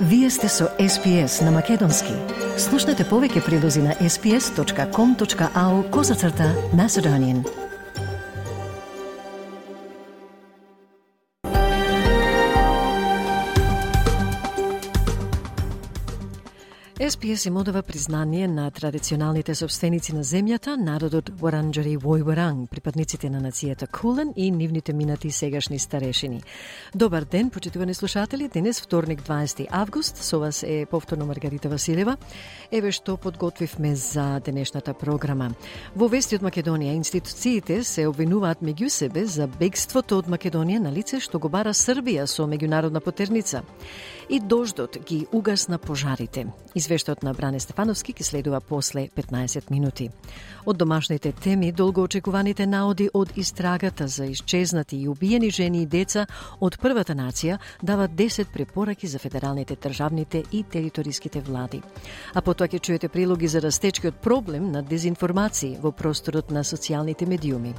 Вие сте со SPS на Македонски. Слушнете повеќе прилози на sps.com.au/Macedonian. SPS им одава признание на традиционалните собственици на земјата, народот Воранџари Војворанг, припадниците на нацијата Кулен и нивните минати сегашни старешини. Добар ден, почитувани слушатели. Денес, вторник, 20 август, со вас е повторно Маргарита Василева. Еве што подготвивме за денешната програма. Во вести од Македонија, институциите се обвинуваат меѓу себе за бегството од Македонија на лице што го бара Србија со меѓународна потерница. И дождот ги угасна пожарите. Извештајот на Бране Стефановски ќе следува после 15 минути. Од домашните теми, долгоочекуваните наоди од истрагата за исчезнати и убиени жени и деца од првата нација дават 10 препораки за федералните, државните и териториските влади. А потоа ќе чуете прилоги за растечкиот проблем на дезинформации во просторот на социјалните медиуми.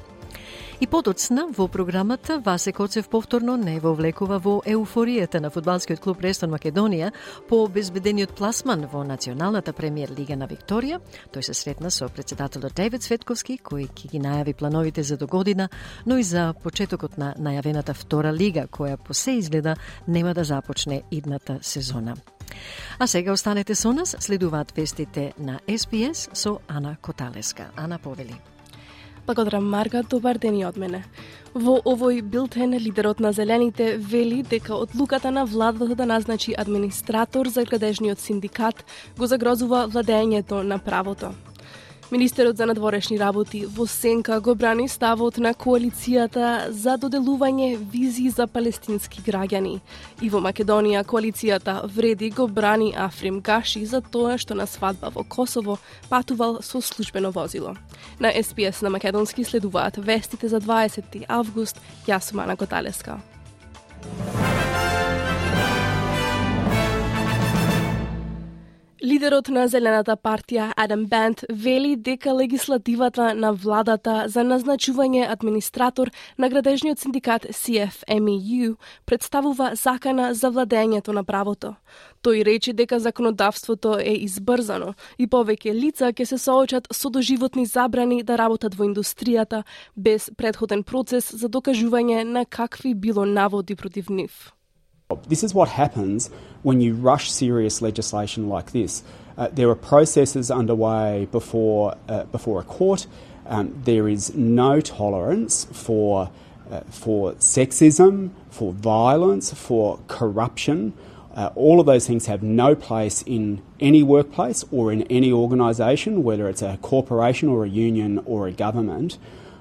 И подоцна во програмата Васе Коцев повторно не вовлекува во еуфоријата на фудбалскиот клуб Рестон Македонија по обезбедениот пласман во Националната премиер лига на Викторија. Тој се сретна со претседателот Девид Светковски, кој ќе ги најави плановите за догодина, но и за почетокот на најавената втора лига, која по се изгледа нема да започне идната сезона. А сега останете со нас, следуваат вестите на SPS со Ана Коталеска. Ана, повели. Благодарам, Марга, добар ден и од мене. Во овој билтен, лидерот на Зелените вели дека одлуката на владата да назначи администратор за градежниот синдикат го загрозува владењето на правото. Министерот за надворешни работи во сенка го брани ставот на коалицијата за доделување визи за палестински граѓани. И во Македонија коалицијата вреди го брани Африм Гаши за тоа што на свадба во Косово патувал со службено возило. На SPS на Македонски следуваат вестите за 20 август. Јас сум Ана Коталеска. Лидерот на Зелената партија Адам Банд вели дека легислативата на владата за назначување администратор на градежниот синдикат CFMEU представува закана за владењето на правото. Тој рече дека законодавството е избрзано и повеќе лица ќе се соочат со доживотни забрани да работат во индустријата без претходен процес за докажување на какви било наводи против нив. This is what happens when you rush serious legislation like this. There are processes underway before a court. There is no tolerance for sexism, for violence, for corruption. All of those things have no place in any workplace or in any organisation, whether it's a corporation or a union or a government.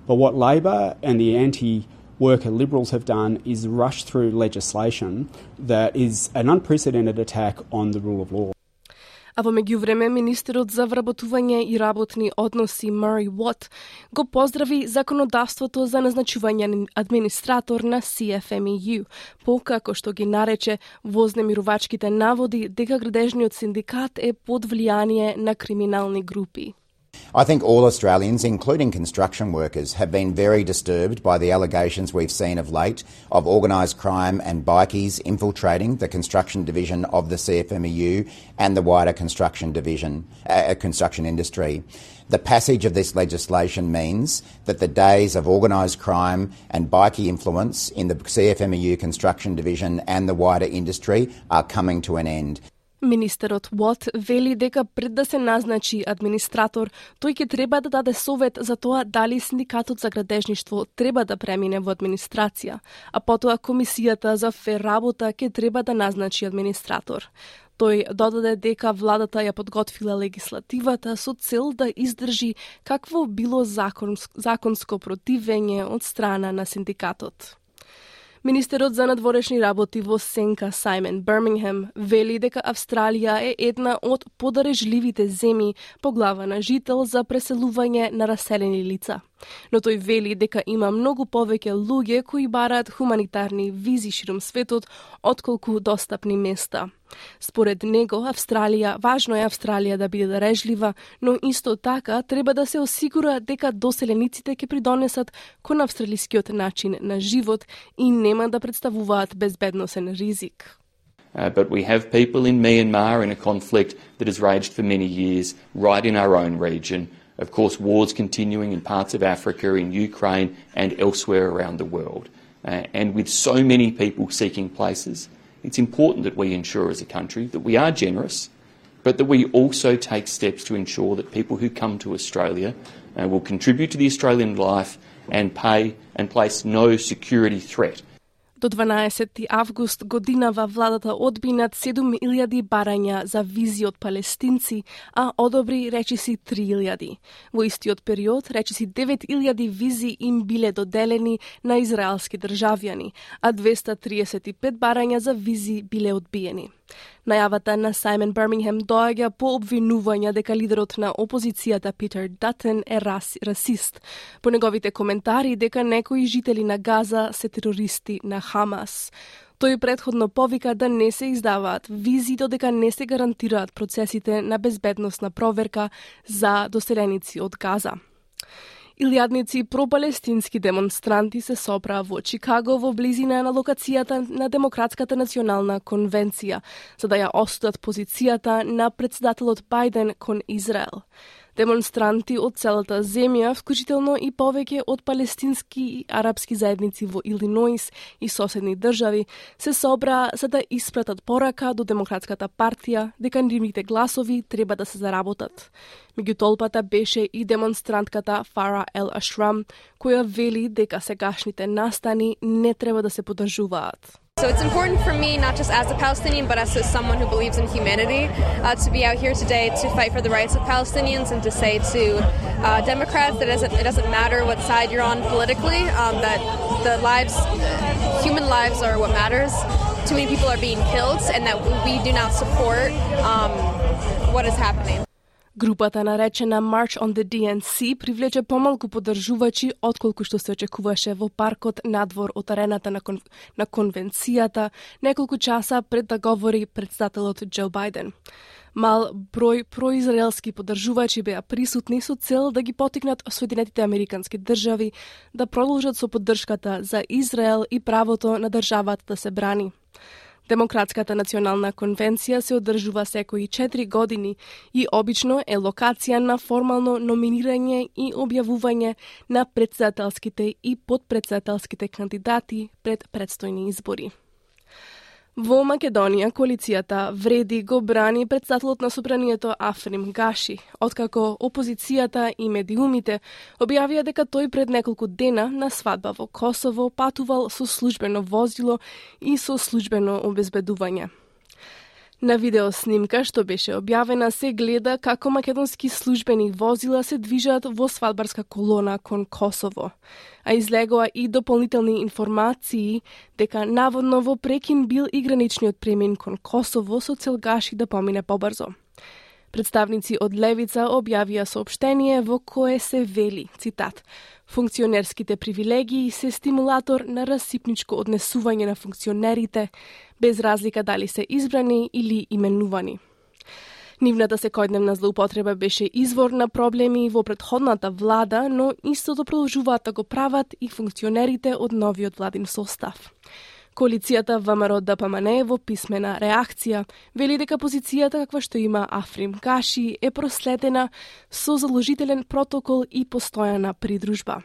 But what Labor and the anti-worker Liberals have done is rush through legislation that is an unprecedented attack on the rule of law. А во меѓувреме, министерот за вработување и работни односи Murray Watt го поздрави законодавството за назначување на администратор на CFMEU, покако што ги нарече вознемирувачките наводи дека градежниот синдикат е под влијание на криминални групи. I think all Australians, including construction workers, have been very disturbed by the allegations we've seen of late of organised crime and bikies infiltrating the construction division of the CFMEU and the wider construction industry. The passage of this legislation means that the days of organised crime and bikie influence in the CFMEU construction division and the wider industry are coming to an end. Министерот Watt вели дека пред да се назначи администратор, тој ќе треба да даде совет за тоа дали синдикатот за градежништво треба да премине во администрација, а потоа комисијата за фер работа ќе треба да назначи администратор. Тој додаде дека владата ја подготвила легислативата со цел да издржи какво било законско противење од страна на синдикатот. Министерот за надворешни работи во сенка Сајмен Бирмингем вели дека Австралија е една од подарежливите земји по глава на жител за преселување на раселени лица. Но тој вели дека има многу повеќе луѓе кои бараат хуманитарни визи широм светот отколку достапни места. Според него, важно е Австралија да биде дарежлива, но исто така треба да се осигура дека доселениците ќе придонесат кон австралискиот начин на живот и нема да представуваат безбедносен ризик. But we have people in Myanmar in a conflict that has raged for many years right in our own region. Of course, wars continuing in parts of Africa, in Ukraine and elsewhere around the world. And with so many people seeking places, it's important that we ensure as a country that we are generous, but that we also take steps to ensure that people who come to Australia will contribute to the Australian life and place no security threat. До 12 август годинава владата одби над 7.000 барања за визи од палестинци, а одобри речиси 3.000. Во истиот период речиси 9.000 визи им биле доделени на израелски државјани, а 235 барања за визи биле одбиени. Најавата на Сајмон Бирмингем доаѓа по обвинувања дека лидерот на опозицијата Питер Датен е расист, по неговите коментари дека некои жители на Газа се терористи на Хамас. Тој претходно повика да не се издаваат визи додека не се гарантираат процесите на безбедносна проверка за доселеници од Газа. Илјадници пропалестински демонстранти се собраа во Чикаго во близина на локацијата на Демократската национална конвенција, за да ја осудат позицијата на претседателот Бајден кон Израел. Демонстранти од целата земја, вклучително и повеќе од палестински и арапски заедници во Илиноис и соседни држави, се собраа за да испратат порака до Демократската партија дека нивните гласови треба да се заработат. Меѓу толпата беше и демонстрантката Фара Ел Ашрам, која вели дека сегашните настани не треба да се поддржуваат. So it's important for me, not just as a Palestinian, but as someone who believes in humanity, to be out here today to fight for the rights of Palestinians and to say to Democrats that it doesn't matter what side you're on politically, that human lives are what matters. Too many people are being killed and that we do not support what is happening. Групата наречена March on the DNC привлече помалку поддржувачи отколку што се очекуваше во паркот надвор од арената на конвенцијата неколку часа пред да говори претседателот Џо Бајден. Мал број произраелски поддржувачи беа присутни со цел да ги потикнат Соединетите Американски држави да продолжат со поддршката за Израел и правото на државата да се брани. Демократската национална конвенција се одржува секои 4 години и обично е локација на формално номинирање и објавување на претседателските и подпретседателските кандидати пред предстојни избори. Во Македонија, коалицијата Вреди го брани претседателот на собранието Африм Гаши, откако опозицијата и медиумите објавија дека тој пред неколку дена на свадба во Косово патувал со службено возило и со службено обезбедување. На видеоснимка што беше објавена се гледа како македонски службени возила се движат во свадбарска колона кон Косово, а излегоа и дополнителни информации дека наводно во прекин бил и граничниот премин кон Косово со цел Гаши да помине побрзо. Представници од Левица објавија соопштение во кое се вели, цитат, функционерските привилегии се стимулатор на расипничко однесување на функционерите, без разлика дали се избрани или именувани. Нивната секојдневна злоупотреба беше извор на проблеми во претходната влада, но истото продолжуваат да го прават и функционерите од новиот владин состав. Коалицијата ВМРО-ДПМН во писмена реакција вели дека позицијата каква што има Африм Гаши е проследена со заложителен протокол и постојана придружба.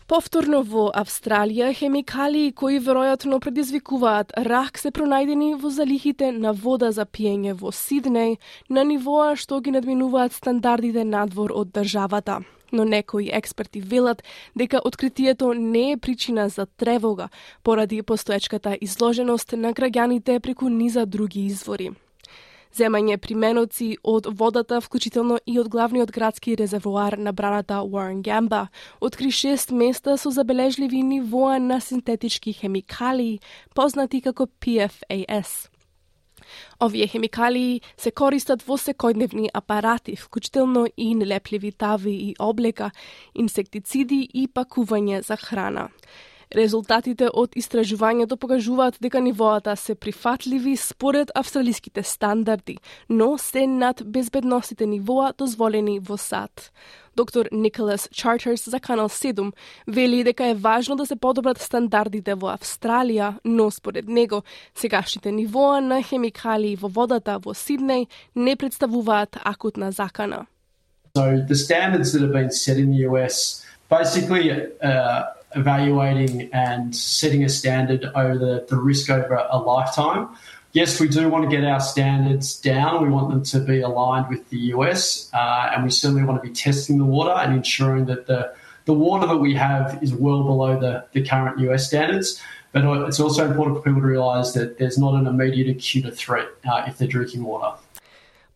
Повторно во Австралија, хемикалии кои веројатно предизвикуваат рак се пронајдени во залихите на вода за пиење во Сиднеј на нивоа што ги надминуваат стандардите надвор од државата. Но некои експерти велат дека откритието не е причина за тревога поради постоечката изложеност на граѓаните преку низа други извори. Земање применоци од водата, вклучително и од главниот градски резервоар на браната Warrangamba, откри 6 места со забележливи нивоа на синтетички хемикалии, познати како PFAS. Овие хемикалии се користат во секојдневни апарати, вклучително и нелепливи тави и облека, инсектициди и пакување за храна. Резултатите од истражувањето покажуваат дека нивоата се прифатливи според австралиските стандарди, но се над безбедностите нивоа дозволени во САД. Доктор Николас Чартерс за Канал 7 вели дека е важно да се подобрат стандардите во Австралија, но според него сегашните нивоа на хемикалии во водата во Сиднеј не представуваат акутна закана. So the standards that have been set in the US basically evaluating and setting a standard over the risk over a lifetime. Yes, we do want to get our standards down. We want them to be aligned with the US, and we certainly want to be testing the water and ensuring that the water that we have is well below the current US standards. But it's also important for people to realise that there's not an immediate acute threat if they're drinking water.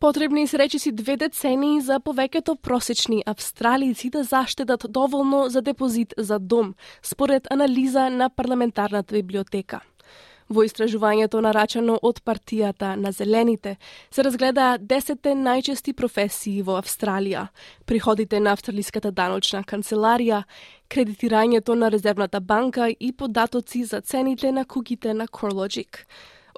Потребни се речиси 2 децении за повеќето просечни австралици да заштедат доволно за депозит за дом, според анализа на парламентарната библиотека. Во истражувањето нарачано од партијата на Зелените се разгледаа 10 најчести професии во Австралија, приходите на австралиската даночна канцеларија, кредитирањето на резервната банка и податоци за цените на куќите на CoreLogic.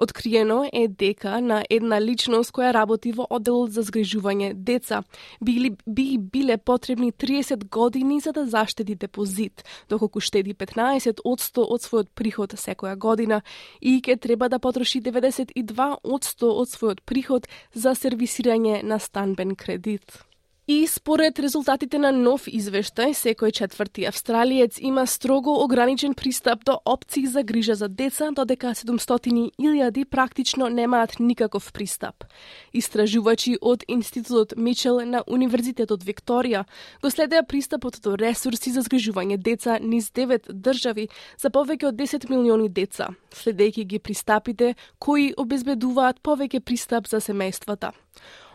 Откриено е дека на една личност која работи во одделот за згрижување деца би биле потребни 30 години за да заштеди депозит, доколку штеди 15% од својот приход секоја година и ќе треба да потроши 92% од својот приход за сервисирање на станбен кредит. И според резултатите на нов извештај, секој 4 австралиец има строго ограничен пристап до опции за грижа за деца, додека 700,000 практично немаат никаков пристап. Истражувачи од Институтот Мичел на Универзитетот Викторија го следеа пристапот до ресурси за згрижување деца низ 9 држави за повеќе од 10 милиони деца, следејќи ги пристапите кои обезбедуваат повеќе пристап за семејствата.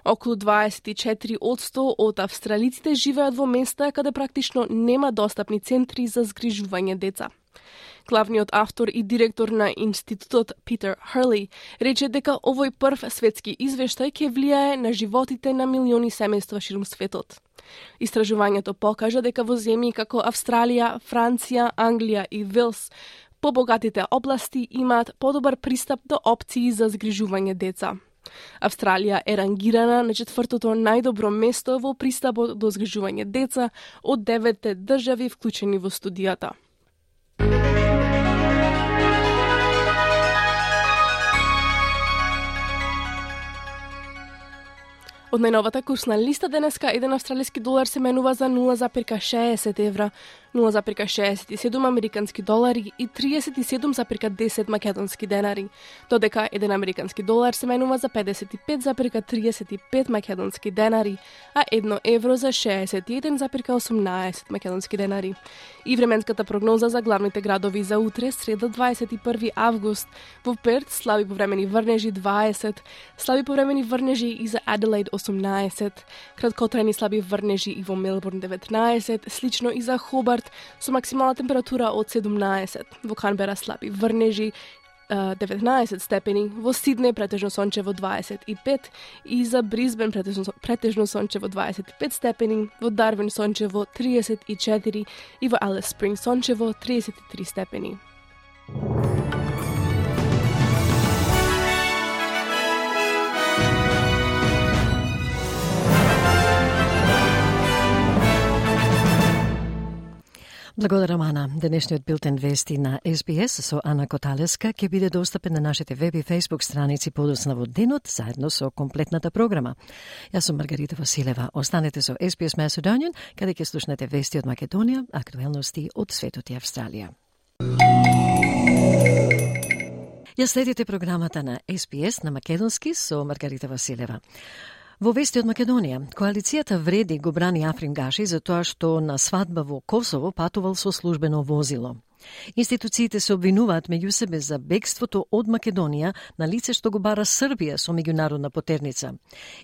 Околу 24% од австралиците живеат во места каде практично нема достапни центри за згрижување деца. Главниот автор и директор на институтот Питер Хърли рече дека овој прв светски извештај ќе влијае на животите на милиони семејства ширум светот. Истражувањето покажа дека во земји како Австралија, Франција, Англија и Велс побогатите области имаат подобар пристап до опции за згрижување деца. Австралија е рангирана на 4-то најдобро место во пристапот до згрижување деца од 9 држави вклучени во студијата. Од најновата курсна листа денеска 1 австралиски долар се менува за 0,60 евра, 0,67 американски долари и 37,10 македонски денари, додека 1 американски долар се менува за 55,35 македонски денари, а 1 евро за 61,18 македонски денари. И временската прогноза за главните градови за утре, среда 21 август, во Перт слаби повремени врнежи 20, слаби повремени врнежи и за Аделаид 18, краткотрајни слаби врнежи и во Мелбурн 19, слично и за Хобарт со максимална температура од 17, во Канбера слаби врнежи 19 степени, во Сиднеј претежно сончево 25 и за Брисбен претежно сончево 25 степени, во Дарвин сончево 34 и во Алис Спринг сончево 33 степени. Благодарам, Ана. Денешниот билтен вести на SBS со Ана Коталеска ќе биде достапен на нашите веб и фейсбук страници подоцна во денот, заедно со комплетната програма. Јас сум Маргарита Василева. Останете со SBS Macedonian, каде ќе слушнете вести од Македонија, актуелности од светот и Австралија. Ја следите програмата на SBS на македонски со Маргарита Василева. Во вести од Македонија, коалицијата Вреди го брани Африм Гаши за тоа што на свадба во Косово патувал со службено возило. Институциите се обвинуваат меѓу себе за бегството од Македонија на лице што го бара Србија со меѓународна потерница.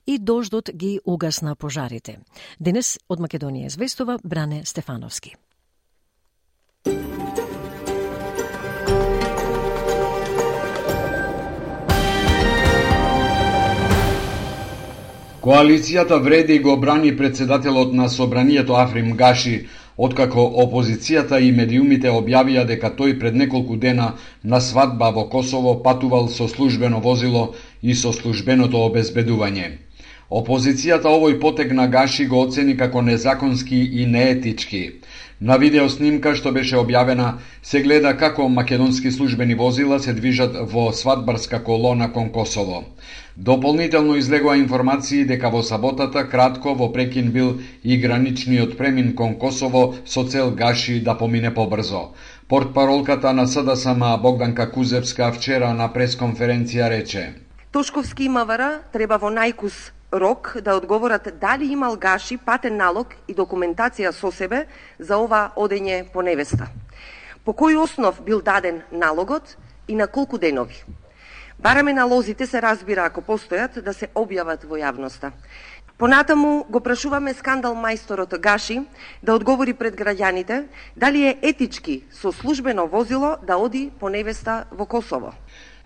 И дождот ги угасна пожарите. Денес од Македонија известува Бране Стефановски. Коалицијата Вреди го брани председателот на Собранието Африм Гаши откако опозицијата и медиумите објавија дека тој пред неколку дена на свадба во Косово патувал со службено возило и со службеното обезбедување. Опозицијата овој потег на Гаши го оцени како незаконски и неетички. На видеоснимка што беше објавена се гледа како македонски службени возила се движат во свадбарска колона кон Косово. Дополнително излегува информации дека во саботата кратко во прекин бил и граничниот премин кон Косово со цел Гаши да помине побрзо. Портпаролката на СДСМ Богданка Кузевска вчера на пресконференција рече: Тошковски и МВР треба во најкус рок да одговорат дали имал Гаши патен налог и документација со себе за ова одење по невеста. По кој основ бил даден налогот и на колку денови? Бараме налозите се разбира ако постојат да се објават во јавноста. Понатаму го прашуваме скандал мајсторот Гаши да одговори пред граѓаните дали е етички со службено возило да оди по невеста во Косово.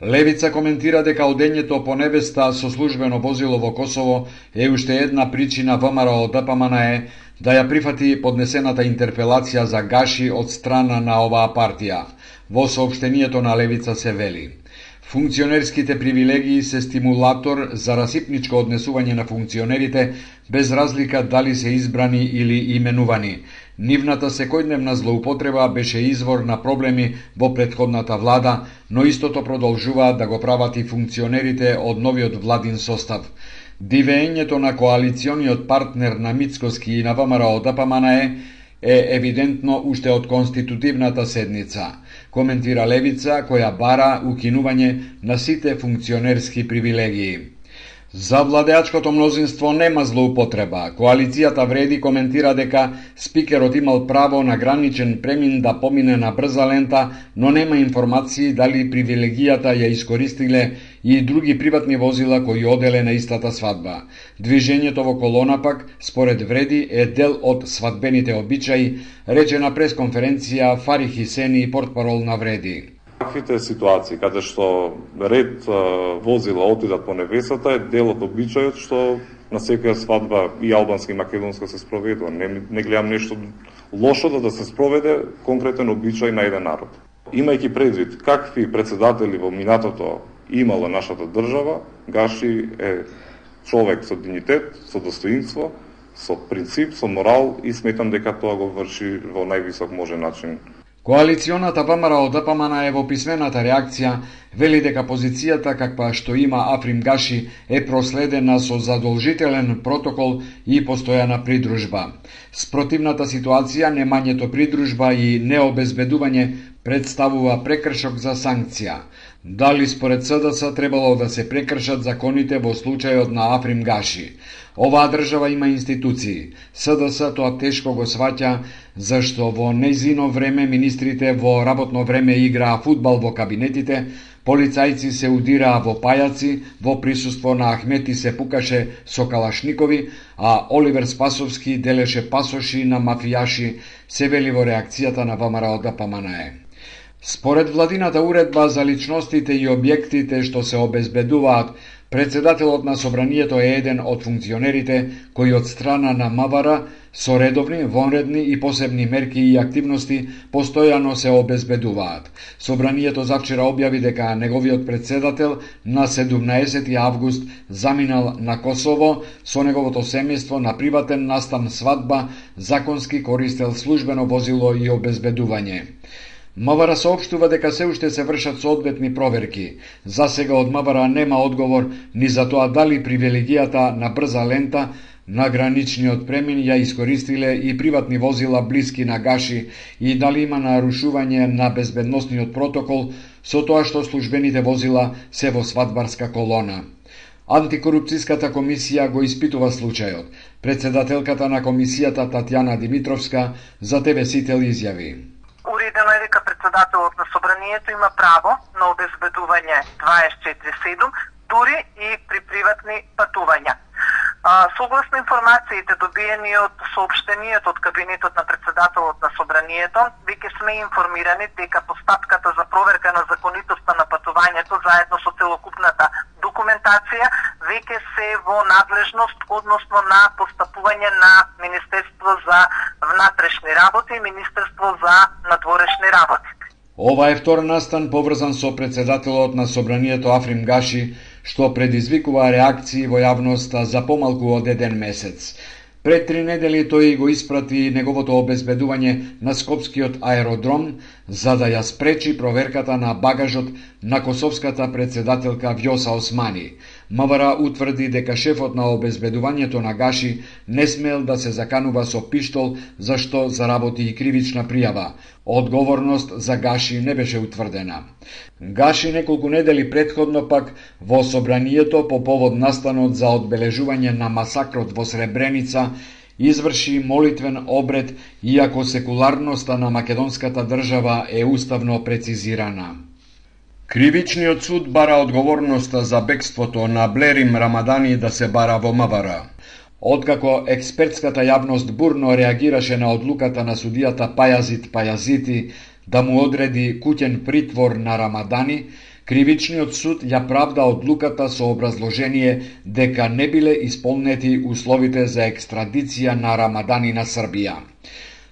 Левица коментира дека одењето по невеста со службено возило во Косово е уште една причина ВМРО ДПМНЕ да ја прифати поднесената интерпелација за Гаши од страна на оваа партија. Во соопштението на Левица се вели: функционерските привилегии се стимулатор за расипничко однесување на функционерите без разлика дали се избрани или именувани. Нивната секојдневна злоупотреба беше извор на проблеми во претходната влада, но истото продолжуваат да го прават и функционерите од новиот владин состав. Дивеењето на коалициониот партнер на Мицкоски и на ВМРО ДПМНЕ е евидентно уште од конститутивната седница, коментира Левица која бара укинување на сите функционерски привилегии. За владеачкото мнозинство нема злоупотреба. Коалицијата Вреди коментира дека спикерот имал право на граничен премин да помине на брза лента, но нема информации дали привилегијата ја искористиле и други приватни возила кои оделе на истата свадба. Движењето во колона пак, според Вреди, е дел од свадбените обичаи, рече на пресконференција Фари Хисени, портпарол на Вреди. Таквите ситуации каде што ред возила отидат по невесата е дел од обичајот што на секоја свадба и албанска и македонска се спроведува. Не гледам нешто лошо да се спроведе конкретен обичај на еден народ. Имајќи предвид какви председатели во минатото имала нашата држава, Гаши е човек со дигнитет, со достоинство, со принцип, со морал и сметам дека тоа го врши во највисок можен начин. Коалиционата ВМРО ДПМНЕ во писмената реакција вели дека позицијата каква што има Африм Гаши е проследена со задолжителен протокол и постојана придружба. Спротивната ситуација, немањето придружба и необезбедување представува прекршок за санкција. Дали според СДС требало да се прекршат законите во случајот на Африм Гаши? Оваа држава има институции. СДС тоа тешко го сваќа, зашто во нејзино време министрите во работно време играа фудбал во кабинетите, полицајци се удираа во пајаци, во присуство на Ахмети се пукаше со калашникови, а Оливер Спасовски делеше пасоши на мафијаши, се вели во реакцијата на ВМРО ДПМНЕ. Според владината уредба за личностите и објектите што се обезбедуваат, председателот на собранието е еден од функционерите кои од страна на МВР со редовни, вонредни и посебни мерки и активности постојано се обезбедуваат. Собранието завчера објави дека неговиот председател на 17 август заминал на Косово со неговото семејство на приватен настан свадба, законски користел службено возило и обезбедување. МВР соопштува дека се уште се вршат соодветни проверки. За сега од МВР нема одговор ни за тоа дали привилегијата на брза лента на граничниот премин ја искористиле и приватни возила блиски на Гаши и дали има нарушување на безбедносниот протокол со тоа што службените возила се во свадбарска колона. Антикорупцијската комисија го испитува случајот. Председателката на комисијата Татјана Димитровска за ТВ Сител изјави: Уредено е дека председателот на собранието има право на обезбедување 24/7, дури и при приватни патувања. Согласно информациите добиени од соопштението од кабинетот на председателот на собранието, веќе сме информирани дека постапката за проверка на законитоста на патувањето заедно со целокупната документација веќе се во надлежност, односно на постапување на Министерство за внатрешни работи и Министерство за надворешни работи. Ова е втор настан поврзан со председателот на Собранието Африм Гаши, што предизвикува реакции во јавноста за помалку од еден месец. Пред 3 недели тој го испрати неговото обезбедување на Скопскиот аеродром за да ја спречи проверката на багажот на косовската председателка Вјоса Османи. МВР утврди дека шефот на обезбедувањето на Гаши не смел да се заканува со пиштол, зашто заработи и кривична пријава. Одговорност за Гаши не беше утврдена. Гаши неколку недели претходно пак во Собранието по повод настанот за одбележување на масакрот во Сребреница изврши молитвен обред, иако секуларноста на македонската држава е уставно прецизирана. Кривичниот суд бара одговорноста за бегството на Блерим Рамадани да се бара во МВР. Откако експертската јавност бурно реагираше на одлуката на судијата Пајазит Пајазити да му одреди куќен притвор на Рамадани, Кривичниот суд ја правда одлуката со образложение дека не биле исполнети условите за екстрадиција на Рамадани на Србија.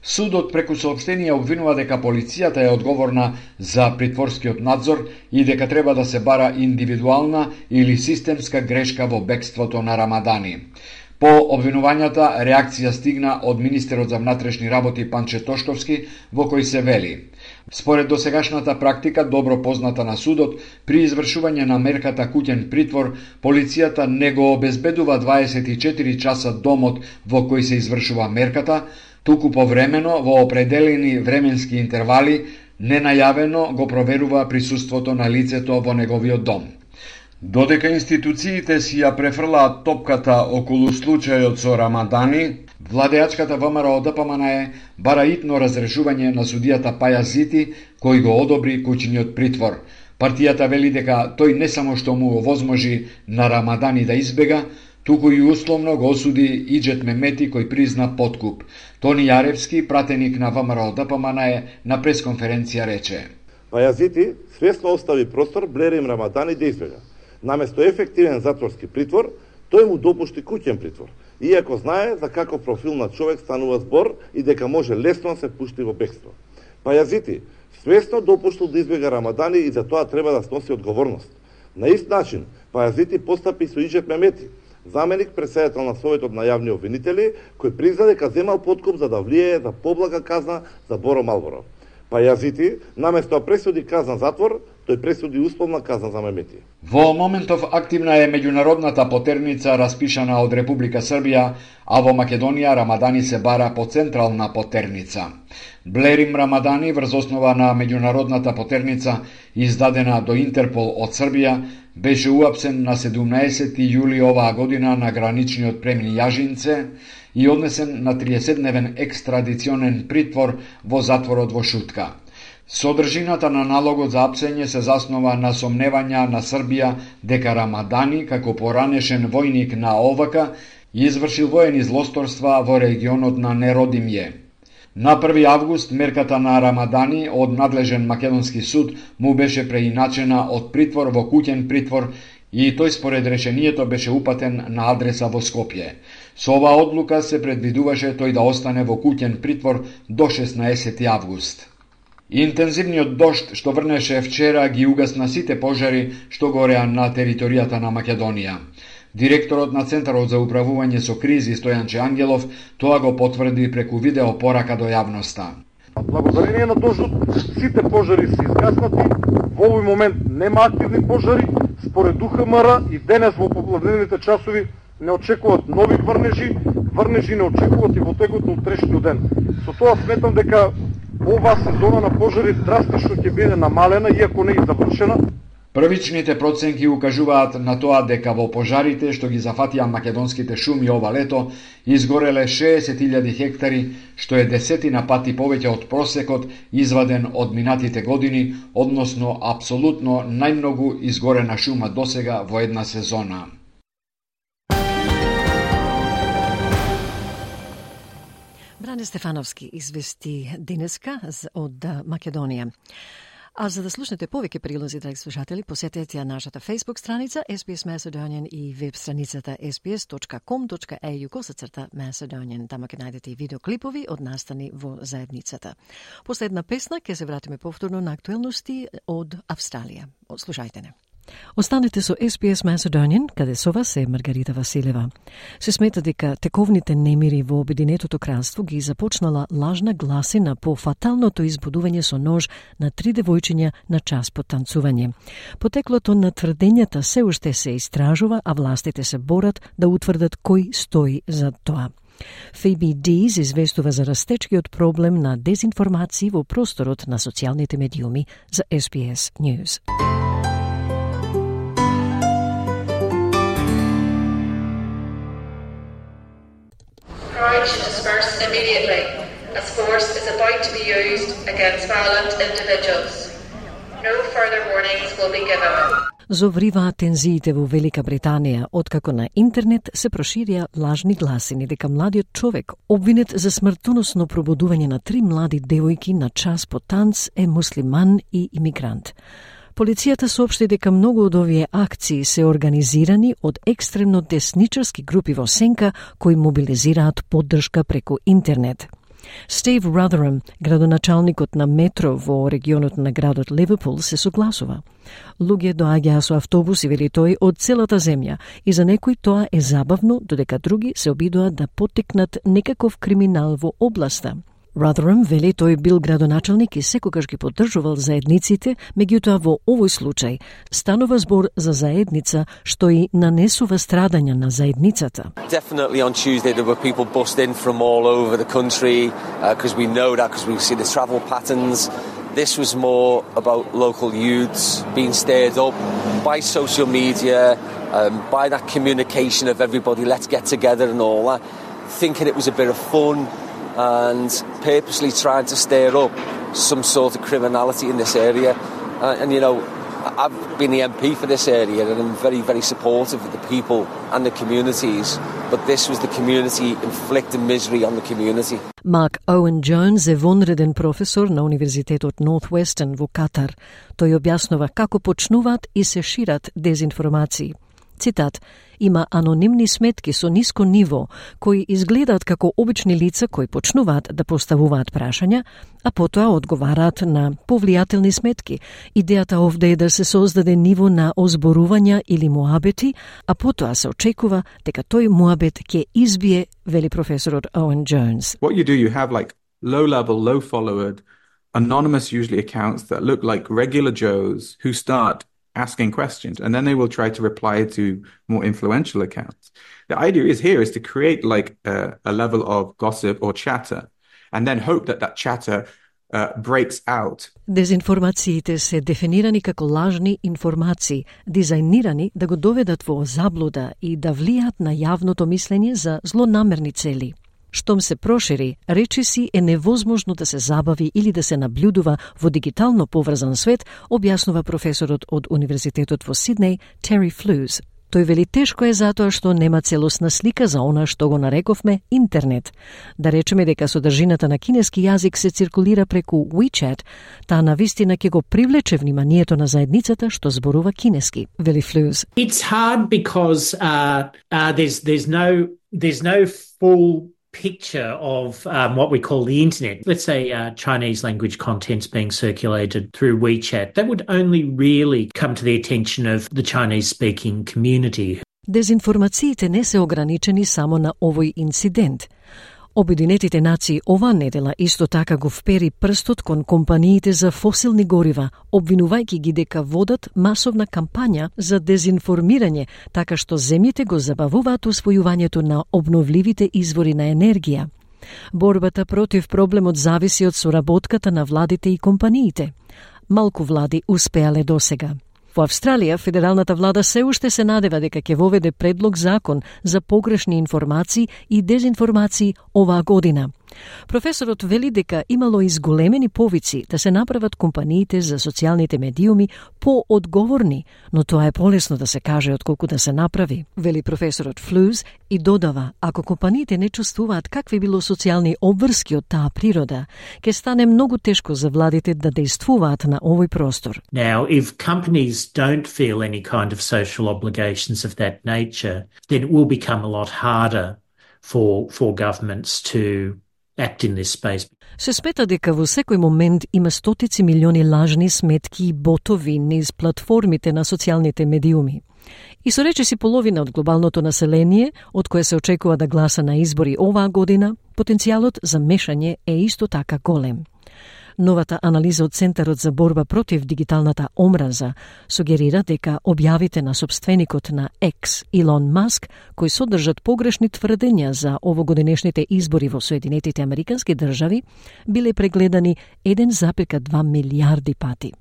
Судот преку соопштение обвинува дека полицијата е одговорна за притворскиот надзор и дека треба да се бара индивидуална или системска грешка во бегството на Рамадани. По обвинувањата, реакција стигна од министерот за внатрешни работи Панче Тошковски, во кој се вели: според досегашната практика, добро позната на судот, при извршување на мерката куќен притвор, полицијата не го обезбедува 24 часа домот во кој се извршува мерката, туку повремено во определени временски интервали, ненајавено го проверува присуството на лицето во неговиот дом. Додека институциите си ја префрлаат топката околу случајот со Рамадани, владеачката ВМРО ДПМН бара итно разрешување на судијата Пајазити, кој го одобри куќниот притвор. Партијата вели дека тој не само што му овозможи на Рамадани да избега, туку и условно го осуди Иџет Мемети кој призна подкуп. Тони Јаревски, пратеник на ВМРО ДПМН, на пресконференција рече: Пајазити свесно остави простор Блерим Рамадани да избега. Наместо ефективен затворски притвор, тој му допушти куќен притвор, иако знае за каков профил на човек станува збор и дека може лесно да се пушти во бегство. Пајазити свесно допуштил да избега Рамадани и за тоа треба да сноси одговорност. На ист начин, Пајазити постапи со Иџет Мемети, заменик председател на Советот на јавни обвинители, кој призна дека земал подкуп за да влијае за поблага казна за Боро Малборо. Пајазити, наместо да пресуди казна затвор, тој пресуди условна казна за Мемети. Во моментов активна е меѓународната потерница распишана од Република Србија, а во Македонија Рамадани се бара по централна потерница. Блерим Рамадани врз основа на меѓународната потерница издадена до Интерпол од Србија беше уапсен на 17 јули оваа година на граничниот премин Јажинце и однесен на 30-дневен екстрадиционен притвор во затворот во Шутка. Содржината на налогот за апсење се заснова на сомневања на Србија дека Рамадани, како поранешен војник на ОВК, извршил воени злосторства во регионот на Неродимје. На 1 август мерката на Рамадани од надлежен македонски суд му беше преиначена од притвор во куќен притвор и тој според решението беше упатен на адреса во Скопје. Со оваа одлука се предвидуваше тој да остане во куќен притвор до 16 август. Интензивниот дожд што врнеше вчера ги угасна сите пожари што гореа на територијата на Македонија. Директорот на Центарот за управување со кризи Стојанче Ангелов тоа го потврди преку видео порака до јавноста. Благодарение на дождот сите пожари се изгаснати, во овој момент нема активни пожари, според УХМР и денес во попладневните часови не очекуваат нови врнежи не очекуваат и во текот на утрешниот ден. Со тоа сметам дека оваа сезона на пожари драстично ќе биде намалена, иако не е завршена. Првичните проценки укажуваат на тоа дека во пожарите што ги зафатија македонските шуми ова лето изгореле 60.000 хектари, што е 10 пати повеќе од просекот изваден од минатите години, односно апсолутно најмногу изгорена шума досега во една сезона. Бране Стефановски извести денеска од Македонија. А за да слушнете повеќе прилози, драги слушатели, посетете ја нашата Facebook страница SBS Macedonian и веб страницата sbs.com.au/Macedonian. Тама ќе најдете и видеоклипови од настани во заедницата. Последна песна, ќе се вратиме повторно на актуелности од Австралија. Слушајте не. Останете со SBS Macedonian, каде со вас е Маргарита Василева. Се смета дека тековните немири во Обединетото кралство ги започнала лажна гласина по фаталното избудување со нож на 3 девојчиња на час по танцување. Потеклото на тврдењата се уште се истражува, а властите се борат да утврдат кој стои за тоа. Phoebe Dees известува за растечкиот проблем на дезинформации во просторот на социјалните медиуми за SBS News. Pride should disperse immediately, as force is about to be used against violent individuals. No further warnings will be given. Зовриваат тензиите во Велика Британија, откако на интернет се проширија лажни гласини дека младиот човек, обвинет за смртоносно пробудување на 3 млади девојки на час по танц, е муслиман и имигрант. Полицијата соопшти дека многу од овие акции се организирани од екстремно десничарски групи во сенка кои мобилизираат поддршка преку интернет. Стив Ротherham, градоначалникот на метро во регионот на градот Ливерпул, се согласува. Луѓе доаѓаа со автобуси, вели тој, од целата земја и за некои тоа е забавно, додека други се обидуваат да поттикнат некаков криминал во областа. Rotherham вели тој бил градоначалник и секогаш ги поддржувал заедниците, меѓутоа во овој случај станува збор за заедница што и нанесува страдања на заедницата. Definitely on Tuesday there were people bussed in from all over the country because we know that because we see the travel patterns. This was more about local youths being stirred up by social media, by that communication of everybody, let's get together and all that, thinking it was a bit of fun and purposely trying to stir up some sort of criminality in this area. And you know, I've been the MP for this area and I'm very, very supportive of the people and the communities, but this was the community inflicting misery on the community. Mark Owen Jones е вонреден професор на Универзитетот Northwestern во Катар. Тој објаснува како почнуваат и се шират дезинформации. Цитат: има анонимни сметки со ниско ниво, кои изгледаат како обични лица кои почнуваат да поставуваат прашања, а потоа одговараат на повлијателни сметки. Идејата овде е да се создаде ниво на озборувања или муабети, а потоа се очекува дека тој муабет ќе избие, вели професорот Owen Jones. What you do, you have like low-level, low-followed, anonymous usually accounts that look like regular Joes who start asking questions, and then they will try to reply to more influential accounts. The idea is to create like a level of gossip or chatter, and then hope that that chatter breaks out. Дезинформациите се дефинирани како лажни информации, дизајнирани да го доведат во заблуда и да влијаат на јавното мислење за злонамерни цели. Штом се прошири, речиси е невозможно да се забави или да се наблюдува во дигитално поврзан свет, објаснува професорот од Универзитетот во Сиднеј, Terry Flews. Тој вели тешко е затоа што нема целосна слика за она што го нарековме интернет. Да речеме дека содржината на кинески јазик се циркулира преку WeChat, таа навистина ќе го привлече вниманието на заедницата што зборува кинески, вели Flews. It's hard because there's no full picture of what we call the internet. Let's say Chinese language content's being circulated through WeChat. That would only really come to the attention of the Chinese-speaking community. Дезинформациите не се ограничени само на овој инцидент. Обединетите нации оваа недела исто така го впери прстот кон компаниите за фосилни горива, обвинувајќи ги дека водат масовна кампања за дезинформирање, така што земјите го забавуваат усвојувањето на обновливите извори на енергија. Борбата против проблемот зависи од соработката на владите и компаниите. Малку влади успеале досега. Во Австралија, федералната влада се уште се надева дека ќе воведе предлог закон за погрешни информации и дезинформации оваа година. Професорот вели дека имало изголемени повици да се направат компаниите за социјалните медиуми поодговорни, но тоа е полесно да се каже отколку да се направи, вели професорот Флуз и додава, ако компаниите не чувствуваат какви било социјални обврски од таа природа, ќе стане многу тешко за владите да действуваат на овој простор. Now, if companies don't feel any kind of social obligations of that nature, then it will become a lot harder for governments to act in this space. Се смета дека во секој момент има стотици милиони лажни сметки и ботови низ платформите на социјалните медиуми. И со речиси половина од глобалното население, од кое се очекува да гласа на избори оваа година, потенцијалот за мешање е исто така голем. Новата анализа од Центарот за борба против дигиталната омраза сугерира дека објавите на собственикот на X, Илон Маск, кои содржат погрешни тврдења за овогодинешните избори во Соединетите Американски држави, биле прегледани 1,2 милиарди пати.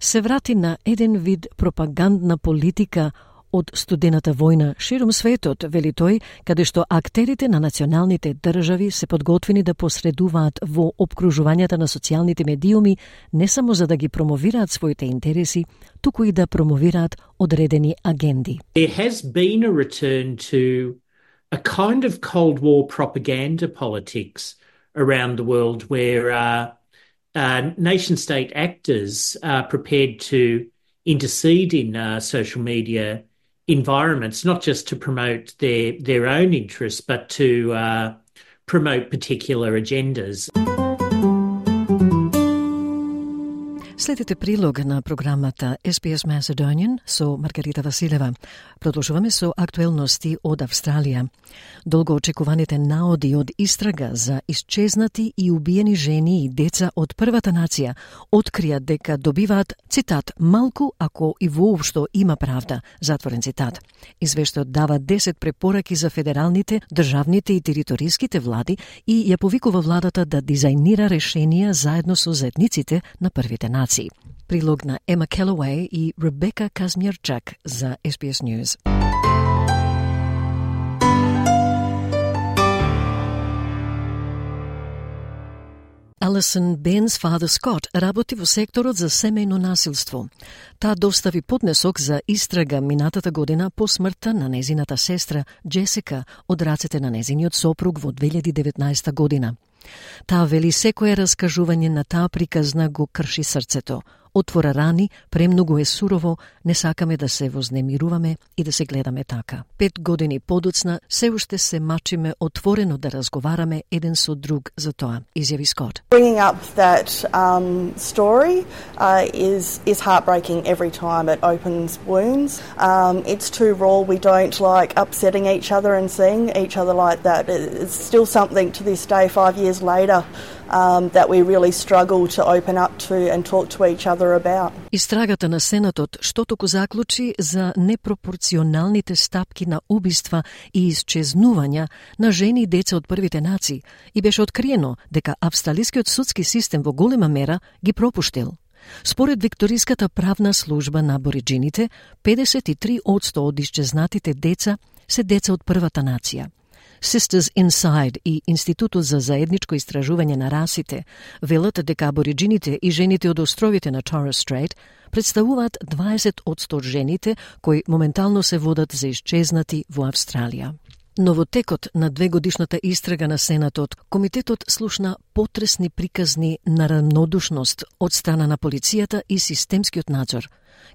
Се врати на еден вид пропагандна политика од студената војна ширум светот, вели тој, каде што актерите на националните држави се подготвени да посредуваат во опкружувањата на социјалните медиуми не само за да ги промовираат своите интереси, туку и да промовираат одредени агенди. There has been a return to a kind of Cold War propaganda politics around the world where nation-state actors are prepared to intercede in social media environments, not just to promote their own interests, but to promote particular agendas. Следите прилог на програмата SPS Macedonian со Маргарита Василева. Продолжуваме со актуелности од Австралија. Долго очекуваните наоди од истрага за исчезнати и убиени жени и деца од првата нација открија дека добиваат, цитат, малку ако и воопшто има правда, затворен цитат. Извештајот дава 10 препораки за федералните, државните и териториските влади и ја повикува владата да дизајнира решенија заедно со заедниците на првите нации. Прилог на Ема Келлоуей и Ребека Казмирчак за SBS News. Алисон Бен's Father Scott работи во секторот за семејно насилство. Таа достави поднесок за истрага минатата година по смртта на незината сестра Джесика од рацете на незиниот сопруг во 2019 година. Таа вели секое раскажување на таа приказна го крши срцето. Отвора рани, премногу е сурово, не сакаме да се вознемируваме и да се гледаме така. 5 години подоцна, се уште се мачиме отворено да разговараме еден со друг за тоа, изјави Скот. Bringing up that story is heartbreaking every time it opens wounds. It's too raw. We don't like upsetting each other and seeing each other like that. It's still something to this day, 5 years later, that we really struggle to open up to and talk to each other about. Истрагата на Сенатот што току заклучи за непропорционалните стапки на убиства и исчезнувања на жени и деца од првите нации и беше откриено дека австралискиот судски систем во голема мера ги пропуштил. Според Викториската правна служба на абориџините, 53% од исчезнатите деца се деца од првата нација. Sisters Inside и Институтот за заедничко истражување на расите велат дека абориџините и жените од островите на Torres Strait представуваат 20% од жените кои моментално се водат за исчезнати во Австралија. Но во текот на 2-годишната истрага на Сенатот, комитетот слушна потресни приказни на равнодушност од страна на полицијата и системскиот надзор.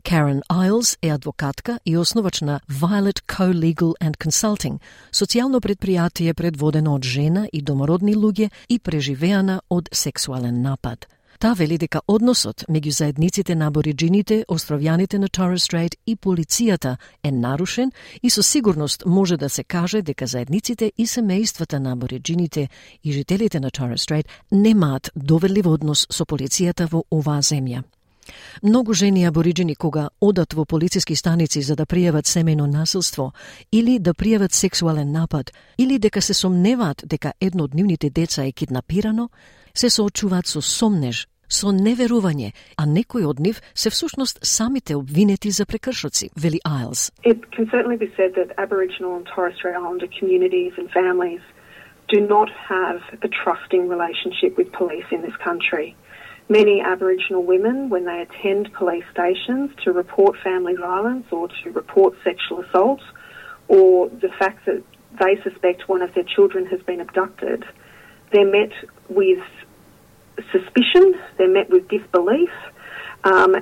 Karen Isles е адвокатка и основач на Violet Co-Legal and Consulting, социјално предпријатие предводено од жена и домородни луѓе и преживеана од сексуален напад. Таа вели дека односот меѓу заедниците на абориџините, островјаните на Torres Strait и полицијата е нарушен и со сигурност може да се каже дека заедниците и семејствата на абориџините и жителите на Torres Strait немаат доверлив однос со полицијата во оваа земја. Многу жени абориџини кога одат во полициски станици за да пријават семејно насилство или да пријават сексуален напад или дека се сомневаат дека едно од нивните деца е киднапирано, се соочуваат со сомнеж, со неверување, а некои од нив се всушност самите обвинети за прекршоци, вели Isles. It can certainly be said that Aboriginal and Torres Strait Islander communities and families do not have a trusting relationship with police in this country. Many Aboriginal women, when they attend police stations to report family violence or to report sexual assault, or the fact that they suspect one of their children has been abducted, they're met with suspicion, they're met with disbelief,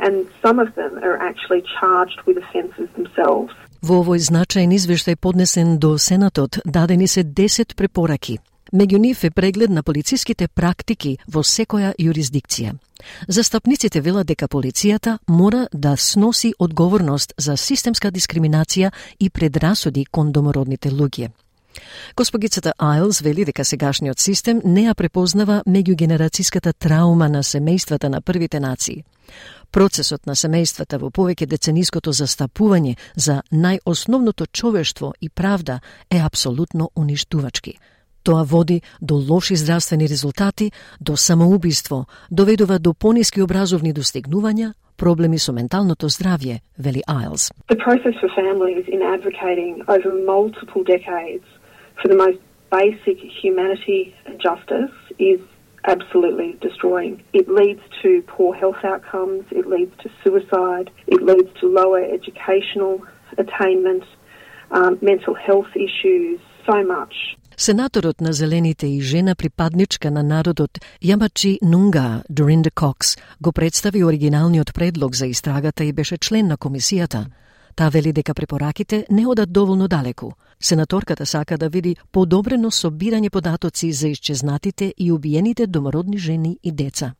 and some of them are actually charged with offences themselves. Во овој значаен извештај поднесен до Сенатот дадени се 10 препораки. Меѓу нив е преглед на полициските практики во секоја юрисдикција. Застапниците велат дека полицијата мора да сноси одговорност за системска дискриминација и предрасуди кон домородните луѓе. Госпогицата Айлс вели дека сегашниот систем не ја препознава меѓугенерацијската траума на семејствата на првите нации. Процесот на семејствата во повеќе децениското застапување за најосновното човештво и правда е апсолутно уништувачки. Тоа води до лоши здравствени резултати, до самоубиство, доведува до пониски образовни достигнувања, проблеми со менталното здравје, вели Айлс. The process for families in advocating over multiple decades for the most basic humanity and justice is absolutely destroying. It leads to poor health outcomes, it leads to suicide, it leads to lower educational attainment, mental health issues, so much. Сенаторот на Зелените и жена припадничка на народот Јамачи Нунга, Доринда Кокс, го представи оригиналниот предлог за истрагата и беше член на комисијата. Таа вели дека препораките не одат доволно далеку. Сенаторката сака да види подобрено собирање податоци за исчезнатите и убиените домородни жени и деца.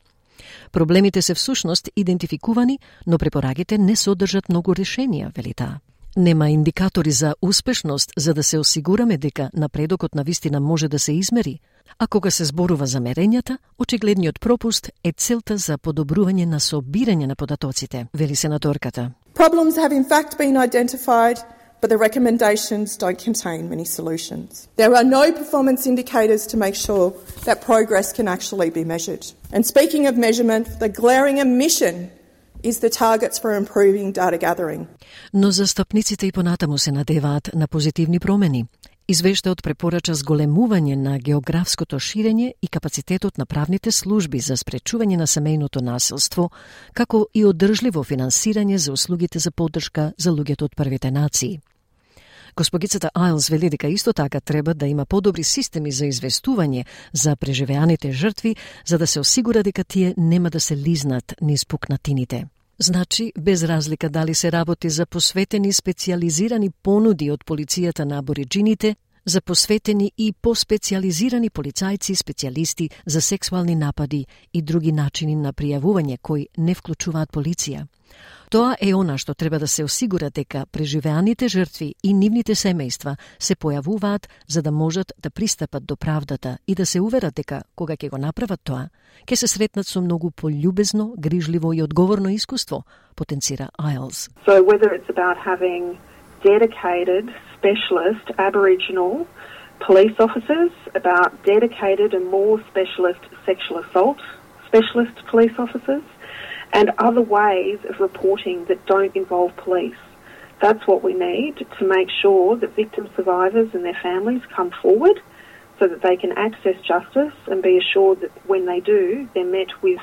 Проблемите се всушност идентификувани, но препораките не содржат многу решенија, вели таа. Нема индикатори за успешност за да се осигураме дека напредокот на вистина може да се измери, а кога се зборува за мерењата, очигледниот пропуст е целта за подобрување на собирање на податоците, вели сенаторката. Problems have in fact been identified, but the recommendations don't contain many solutions. There are no performance indicators to make sure that progress can actually be measured. And speaking of measurement, the glaring omission is the targets for improving data gathering. Но застапниците и понатаму се надеваат на позитивни промени. Извештајот препорача зголемување на географското ширење и капацитетот на правните служби за спречување на семејното насилство, како и одржливо финансирање за услугите за поддршка за луѓето од првите нации. Госпогицата Айлс вели дека исто така треба да има подобри системи за известување за преживеаните жртви, за да се осигура дека тие нема да се лизнат низ пукнатините. Значи, без разлика дали се работи за посветени специализирани понуди од полицијата на абориджините, за посветени и поспециализирани полицајци, специјалисти за сексуални напади и други начини на пријавување кои не вклучуваат полиција. Тоа е она што треба да се осигура дека преживеаните жртви и нивните семејства се појавуваат за да можат да пристапат до правдата и да се уверат дека кога ќе го направат тоа, ќе се сретнат со многу пољубезно, грижливо и одговорно искуство, потенцира Айлс. So whether it's about having dedicated specialist Aboriginal police officers, about dedicated and more specialist sexual assault specialist police officers, and other ways of reporting that don't involve police. That's what we need to make sure that victim survivors and their families come forward so that they can access justice and be assured that when they do, they're met with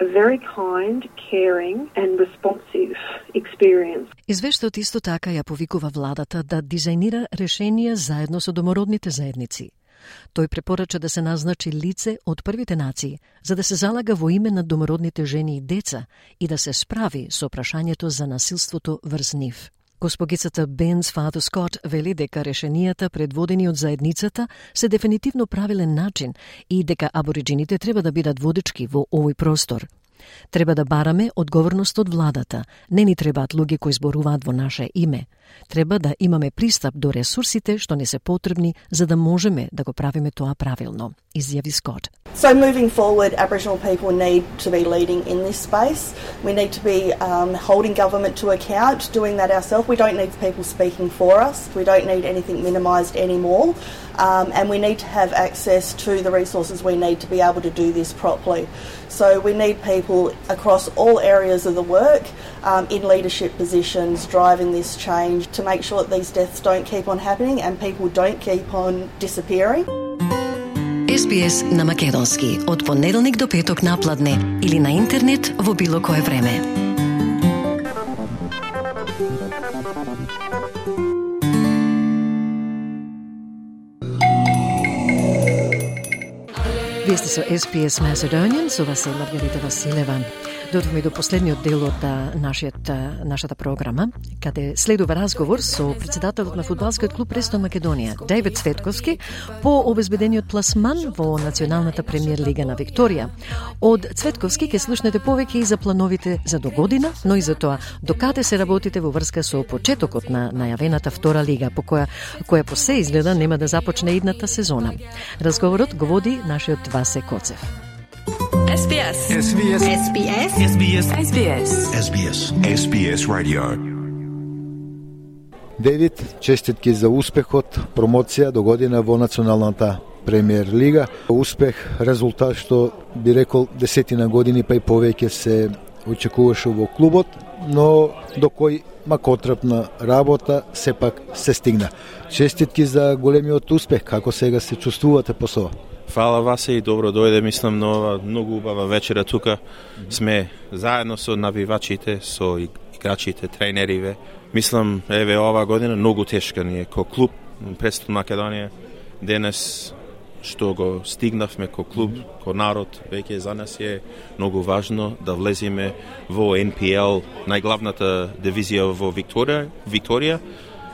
a very kind, caring and responsive experience. Извештајот исто така ја повикува владата да дизајнира решенија заедно со домородните заедници. Тој препорача да се назначи лице од првите нации, за да се залага во име на домородните жени и деца и да се справи со прашањето за насилството врз нив. Госпогицата Бенс Фадо Скот вели дека решенијата предводени од заедницата се дефинитивно правилен начин и дека абориджините треба да бидат водички во овој простор. Треба да бараме одговорност од владата. Не ни требаат луѓе кои зборуваат во наше име. Треба да имаме пристап до ресурсите што не се потребни за да можеме да го правиме тоа правилно, изјави Скот. So moving forward, Aboriginal people need to be leading in this space. We need to be holding government to account, doing that ourselves. We don't need people speaking for us. We don't need anything minimised anymore. And we need to have access to the resources we need to be able to do this properly. So we need people across all areas of the work in leadership positions driving this change to make sure that these deaths don't keep on happening and people don't keep on disappearing. SBS на македонски од понеделник до петок на пладне или на интернет во било кое време. Вие сте со SBS Macedonian, со вас е Маргарита Василева. Дојдовме до последниот дел од нашата програма, каде следува разговор со председателот на фудбалскиот клуб Престон Македонија, Дејвид Цветковски, по обезбедениот пласман во Националната премиер лига на Викторија. Од Цветковски ќе слушнете повеќе и за плановите за догодина, но и за тоа докаде се работите во врска со почетокот на најавената втора лига, по која по се изгледа нема да започне идната сезона. Разговорот го води нашиот Васе Коцев. SBS. SBS. SBS. SBS. SBS. SBS. SBS Radio. Дејвид, честитки за успехот, промоција до година во Националната премиер лига. Успех, резултат што би рекол 10 години па и повеќе се очекуваше во клубот, но до кој макотрапна работа сепак се стигна. Честитки за големиот успех, како сега се чувствувате по тоа? Фала Васе и добро дојде, мислам, нова многу убава вечера тука. Сме заедно со навивачите, со играчите, тренериве. Мислам, еве ова година многу тешка ни е ко клуб Престон Македонија. Денес што го стигнавме ко клуб, ко народ, веќе за нас е многу важно да влеземе во NPL, најглавната дивизија во Викторија.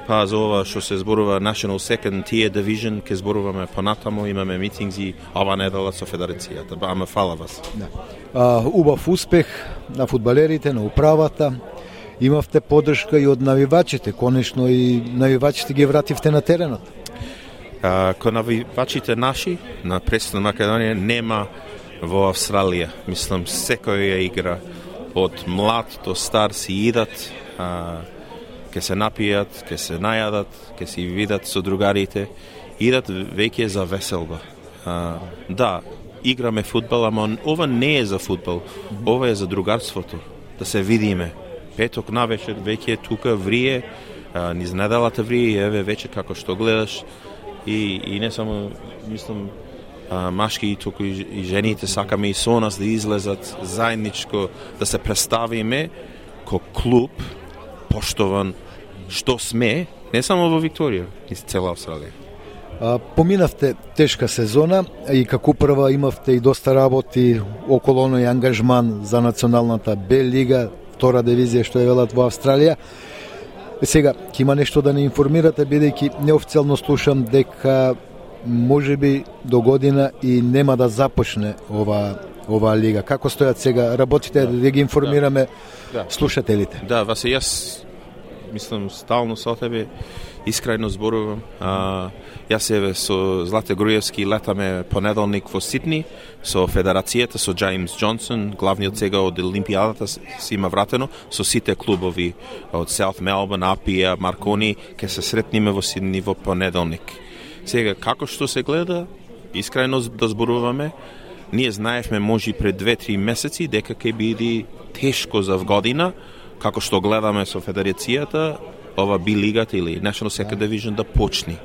Па за ова што се зборува National Second Tier Division, ке зборуваме понатамо, имаме митингзи ова недела со федерацијата. Ама фала вас. Да. Убав успех на фудбалерите, на управата. Имавте поддршка и од навивачите, конечно и навивачите ги вративте на теренот. Ко навивачите наши на Престон Македонија нема во Австралија. Мислам, секоја игра од млад до стар си идат, ке се напијат, ке се најадат, ке си видат со другарите, идат веќе за веселба. Да, играме фудбал, ама ова не е за фудбал, ова е за другарството, да се видиме. Петок навечер веќе тука врие, низ неделата врие, еве вече како што гледаш, и не само, мислам, машки и тука и жените сакаме и со нас да излезат заедничко, да се представиме ко клуб, поштован, што сме, не само во Викторија, и цела Австралија. Поминавте тешка сезона и како прва имавте и доста работи околу оној ангажман за Националната Б лига, втора дивизија што е велат во Австралија. Сега, ќе има нешто да не информирате, бидејќи неофицијално слушам дека можеби до година и нема да започне ова лига. Како стојат сега работите, да ги информираме слушателите? Да, Васе, јас мислам стално со тебе, искрено зборувам. Јас еве со Злате Груевски летаме понеделник во Сидни со федерацијата, со Джеймс Джонсон, главниот сега од Олимпијадата си има вратено, со сите клубови од South Melbourne, Апија, Маркони, ке се сретниме во Сидни во понеделник. Сега, како што се гледа, искрено да зборуваме, ние знаевме може пред 2-3 месеци дека ќе биде тешко за година, како што гледаме со федерацијата, ова би лигата или National Second Division да почни.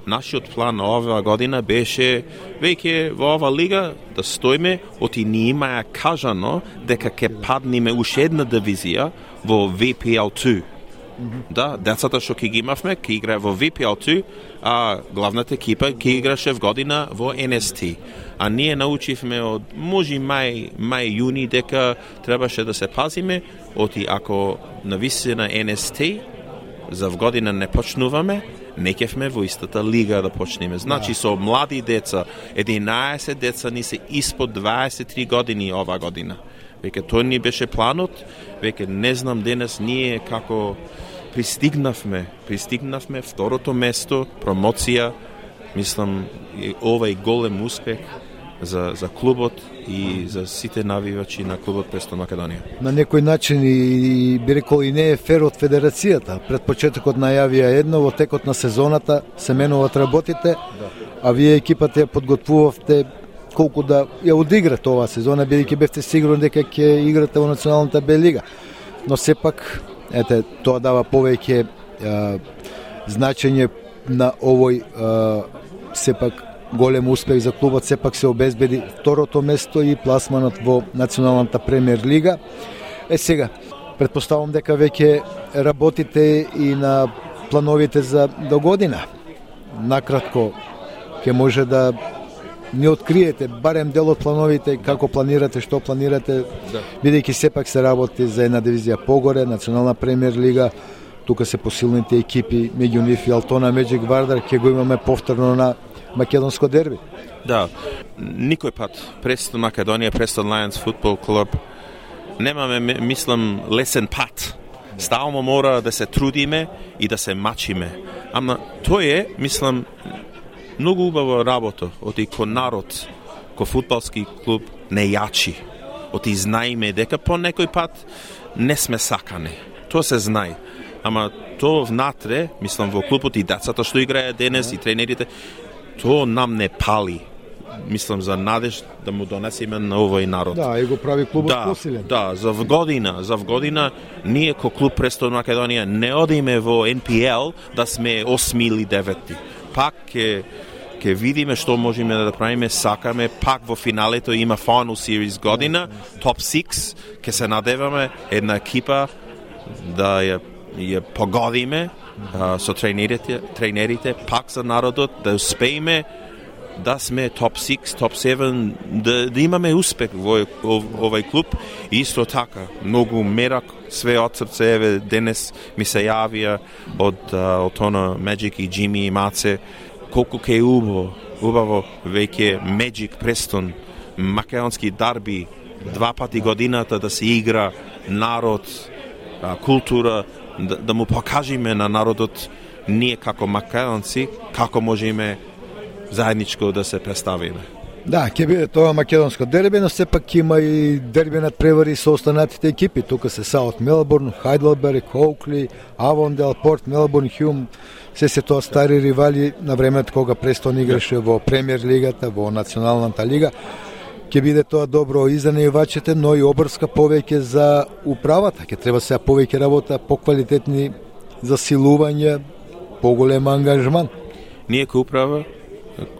Нашиот план оваа година беше веќе во ова лига да стоиме, оти ни имаја кажано дека ќе падниме уште една дивизија во VPL2. Да, децата што ќе ги имавме, ќе играе во VPL2, а главната екипа ќе играше в година во NST. А ние научивме од може мај јуни дека требаше да се пазиме, оти ако навистина NST за в година не почнуваме, не кефме во истата лига да почнеме. Значи со млади деца, 11 деца ни се испод 23 години ова година. Веќе тој ни беше планот, веќе не знам денес ние како пристигнавме второто место, промоција, мислам ова е голем успех за клубот и за сите навивачи на клубот Престон Македонија. На некој начин и би рекол и не е фер од федерацијата. Пред почетокот најавија едно, во текот на сезоната се менуват работите, а вие екипата ја подготвувавте колку да ја одиграте оваа сезона, бидејќи бевте сигурни дека ќе играте во Националната Б лига. Но сепак, тоа дава повеќе значење на овој сепак голем успех за клубот, сепак се обезбеди второто место и пласманот во Националната премиер лига. Сега, претпоставам дека веќе работите и на плановите за до година. Накратко, ќе може да ни откриете барем дел од плановите, како планирате, што планирате, бидејќи сепак се работи за една дивизија погоре, Национална премиер лига, тука се посилните екипи, меѓу нив и Алтона Меджик Вардар, ќе го имаме повторно на македонско дерби. Да, никој пат Престон Македонија, Престон Lions футбол клуб немаме, мислам, лесен пат. Стално мора да се трудиме и да се мачиме. Ама тој е, мислам, многу убава работа од ко народ, ко футболски клуб не јачи. Од знаеме дека по некој пат не сме сакани. Тоа се знае. Ама тоа внатре, мислам, во клубот и децата што играат денес и тренерите, тоа нам не пали. Мислам за надеж да му донесеме на овој народ. Да, и го прави клубот посилен. Да, за вгодина ние ко клуб Престон Македонија не одиме во NPL да сме 8 или 9. Пак ќе видиме што можеме да правиме, сакаме, пак во финалето има Final Series година, Top 6, ќе се надеваме една екипа да ја погодиме со тренерите, пак за народот, да успееме да сме топ 6, топ 7, да имаме успех во овој клуб. И исто така, многу мерак, све од срце, еве, денес ми се јавија од Алтона Меджик и Джими и Маце, колку ке убаво веќе Меджик Престон, македонски дарби, 2 пати годината да се игра народ, култура, да му покажеме на народот ние како македонци, како можеме заедничко да се представиме. Да, ќе биде тоа македонско дерби, но сепак има и дерби над превари со останатите екипи. Тука се Саут Мелбурн, Хайдлберг, Оукли, Авондел, Порт Мелбурн, Хјум, се тоа стари ривали на времето кога Престон играше во премиер лигата, во Националната лига. Ќе биде тоа добро и за наивачите, но и обрска повеќе за управата. Ќе треба сега повеќе работа, поквалитетни засилувања, поголем ангажман. Ние ко управа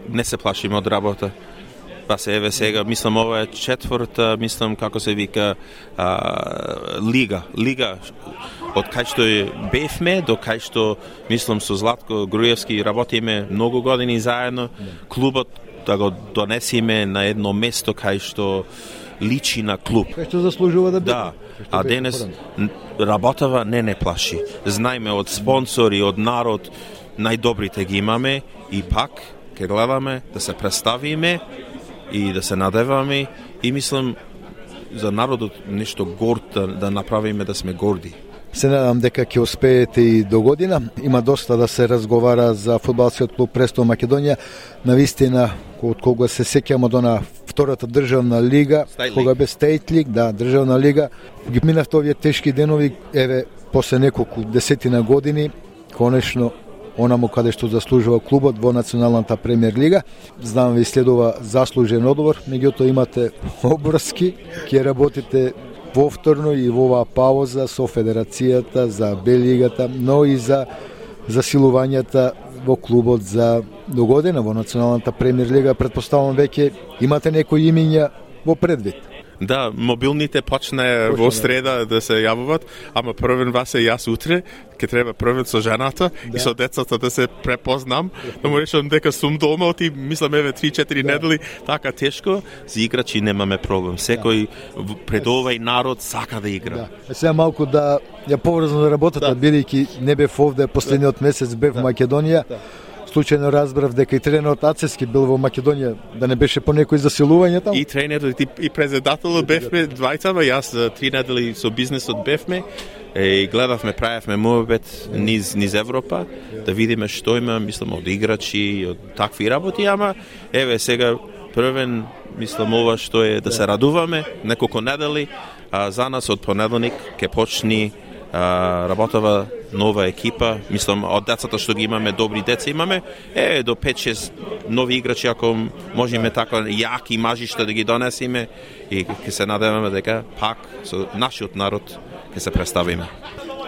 не се плашиме од работа. Па се еве сега, мислам, ова е четврта, мислам, како се вика, лига. Од кај што бевме, до кај што, мислам, со Златко Груевски работиме многу години заедно, клубот да го донесиме на едно место кај што личи на клуб. Кај што заслужува да биде. Да, а денес работава не плаши. Знаеме од спонсори, од народ, најдобрите ги имаме и пак ќе гледаме да се представиме и да се надеваме и мислам за народот нешто горд да направиме, да сме горди. Се надам дека ќе успеете и до година. Има доста да се разговара за фудбалскиот клуб Престон Македонија. Навистина, од кога се сеќам од она втората државна лига, кога бе State League, да, државна лига, ги минавте овие тешки денови, еве, после неколку десетина години, конечно, онаму каде што заслужува клубот во Националната премиер лига. Знам ви следува заслужен одбор, меѓутоа имате обврски, ќе работите повторно и во оваа пауза со Федерацијата за Б лигата, но и за засилувањата во клубот за до година во Националната премиер лига. Претпоставувам веќе имате некои имиња во предвид. Да, мобилните почне во среда да се јавуват, ама првен вас е јас утре, ќе треба првен со жената и со децата да се препознам, да му речам дека сум дома, оти мислам еве 3-4 недели, така тешко, за играчи немаме проблем. Секој пред овој народ сака да игра. Да. Сега малку да ја поврзам на работата, бидејќи не бев овде последниот месец, бев во Македонија. Случајно разбрав дека и тренерот Ацески бил во Македонија, да не беше по некои засилувања таму. И тренерот и председателот бевме двајцама, јас 3 недели со бизнесот бевме и гледавме, правевме муабет низ Европа, да видиме што има, мислам, од играчи, од такви работи, ама еве сега првен, мислам, ова што е да се радуваме неколку недели, а за нас од понеделник ќе почни работава нова екипа, мислам, од децата што ги имаме, добри деца имаме, до 5-6 нови играчи, ако можеме така јаки мажишта да ги донесиме и ќе се надеваме дека пак со нашиот народ ќе се представиме.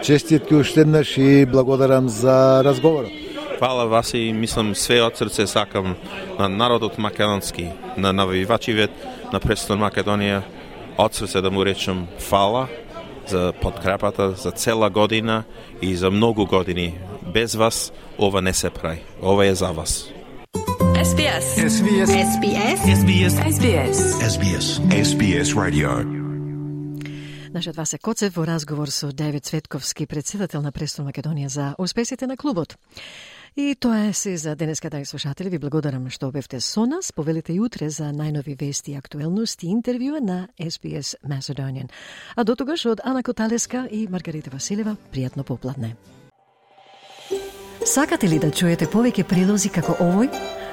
Честитки уште еднаш и благодарам за разговорот. Фала вас и мислам све од срце сакам на народот македонски, на навивачивет на Престон Македонија, од срце да му речем фала за подкрепата за цела година и за многу години. Без вас ова не се прави. Ова е за вас. SBS. SBS. SBS. SBS. SBS. SBS. SBS Radio. Нашиот Васе Коцев во разговор со Девид Цветковски, председател на Престон Македонија, за успесите на клубот. И тоа е се за денеска, драги слушатели. Ви благодарам што бевте со нас. Повелите и утре за најнови вести, актуелности и интервјуа на SBS Macedonian. А до тогаш од Ана Коталеска и Маргарита Василева, пријатно попладне. Сакате ли да чуете повеќе прилози како овој?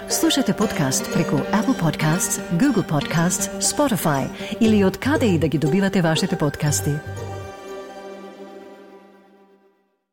Слушате подкаст преку Apple Podcasts, Google Podcasts, Spotify или од каде и да ги добивате вашите подкасти.